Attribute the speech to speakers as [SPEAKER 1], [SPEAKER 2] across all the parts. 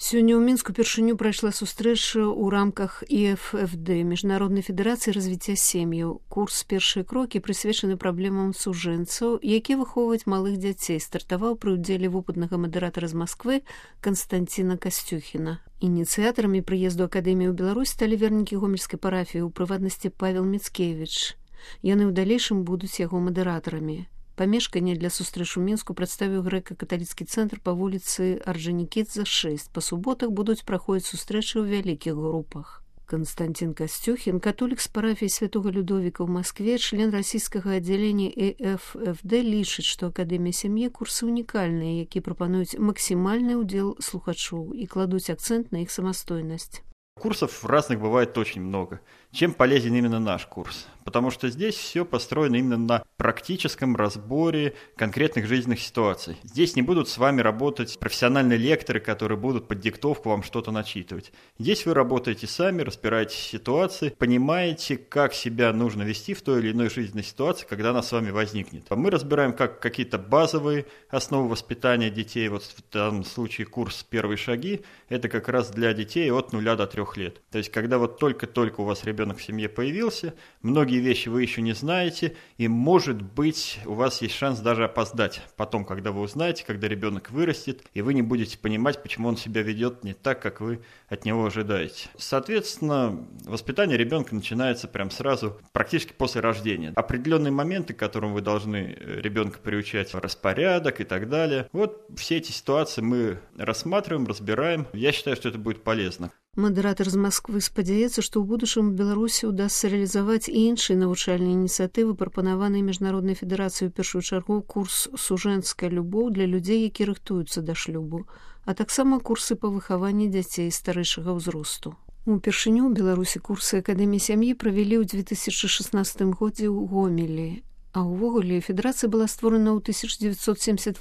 [SPEAKER 1] Сёння ў Мінску упершыню прайшла сустрэча ў рамках ІФФД, Міжнароднай федэрацыі развіцця сем'яў. Курс «Першыя крокі» прысвечаны праблемам сужэнцаў, якія выхоўваюць малых дзяцей, стартаваў пры ўдзеле вопытнага мадэратара з Масквы Канстанціна Касцюхіна. Ініцыятарамі прыезду акадэміі ў Беларусь сталі вернікі гомельскай парафіі, у прыватнасці Павел Міцкевіч. Яны ў далейшым будуць яго мадэратарамі. Памешканне для сустрэч у Мінску прадставіў грэка-каталіцкі цэнтр па вуліцы Орджанікідзе, 6. Па суботах будуць праходзіць сустрэчы ў вялікіх групах. Константин Костюхин, католік з парафіі святого Людовіка ў Маскве, член расійскага аддзялення ІФФД, лічыць, што акадэмія сям'і курсы унікальныя, які прапануюць максімальны ўдзел слухачоў і кладуць акцэнт на іх самастойнасць.
[SPEAKER 2] Курсов разных бывает очень много. Чем полезен именно наш курс? Потому что здесь все построено именно на практическом разборе конкретных жизненных ситуаций. Здесь не будут с вами работать профессиональные лекторы, которые будут под диктовку вам что-то начитывать. Здесь вы работаете сами, разбираете ситуации, понимаете, как себя нужно вести в той или иной жизненной ситуации, когда она с вами возникнет. А мы разбираем как какие-то базовые основы воспитания детей. Вот в данном случае курс «Первые шаги» – это как раз для детей от 0 до 3 лет. То есть, когда вот только-только у вас ребенок в семье появился, многие вещи вы еще не знаете, и, может быть, у вас есть шанс даже опоздать потом, когда вы узнаете, когда ребенок вырастет, и вы не будете понимать, почему он себя ведет не так, как вы от него ожидаете. Соответственно, воспитание ребенка начинается прям сразу, практически после рождения. Определенные моменты, к которым вы должны ребенка приучать, распорядок и так далее. Вот все эти ситуации мы рассматриваем, разбираем. Я считаю, что это будет полезно.
[SPEAKER 1] Мадэратар з Масквы спадзяецца, што ў будучым у Беларусі ўдасца рэалізаваць і іншыя навучальныя ініцыятывы, прапанаваныя Міжнароднай федэрацыяй у першую чаргу курс «Сужэнцкая любоў» для людзей, які рыхтуюцца да шлюбу, а таксама курсы па выхаванні дзяцей старэйшага ўзросту. Упершыню ў Беларусі курсы акадэміі сям'і правялі ў 2016 годзе ў Гомелі. А ўвогуле федэрацыя была створана ў 1978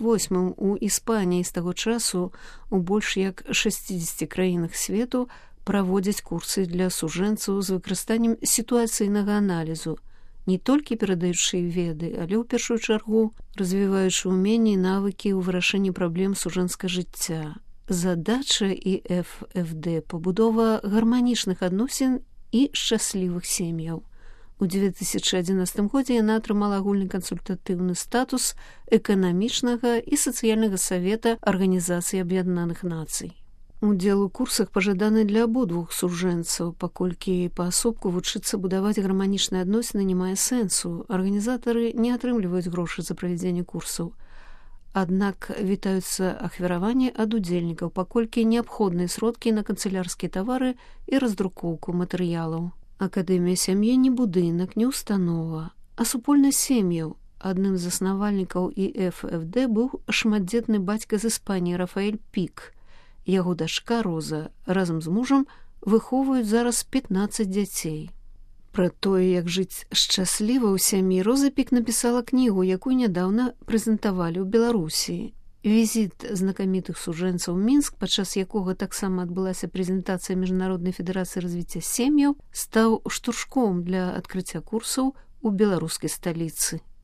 [SPEAKER 1] у Іспаніі. З таго часу у больш як 60 краінах свету праводзяць курсы для сужэнцаў з выкарыстаннем сітуацыйнага аналізу, не толькі перадаючы веды, але ў першую чаргу развіваючы ўменні і навыкі ў вырашэнні праблем сужэнцкага жыцця. Задача ІФФД – пабудова гарманічных адносін і шчаслівых сем'яў. У 2011 годзе яна атрымала агульны кансультатыўны статус эканамічнага і сацыяльнага савета Арганізацыі Аб'яднаных Нацый. Удзел у курсах пажаданы для абодвух сужэнцаў, паколькі паасобку вучыцца будаваць гарманічныя адносіны не мае сэнсу. Арганізатары не атрымліваюць грошы за правядзенне курсаў. Аднак вітаюцца ахвяраванні ад удзельнікаў, паколькі неабходныя сродкі на канцылярскія тавары і раздрукоўку матэрыялаў. Акадэмія сям'і не будынак, не установа, а супольнасць сем'яў. Адным з заснавальнікаў ІФФД быў шматдзетны бацька з Іспаніі Рафаэль Пік. Яго дачка Роза разам з мужам выхоўваюць зараз 15 дзяцей. Пра тое, як жыць шчасліва ў сям'і, Роза Пік напісала кнігу, якую нядаўна прэзентавалі ў Беларусі. Візіт знакамітых сужэнцаў у Мінск, падчас якога таксама адбылася прэзентацыя Міжнароднай федэрацыі развіцця сем'яў, стаў штуршком для адкрыцця курсаў у беларускай сталіцы.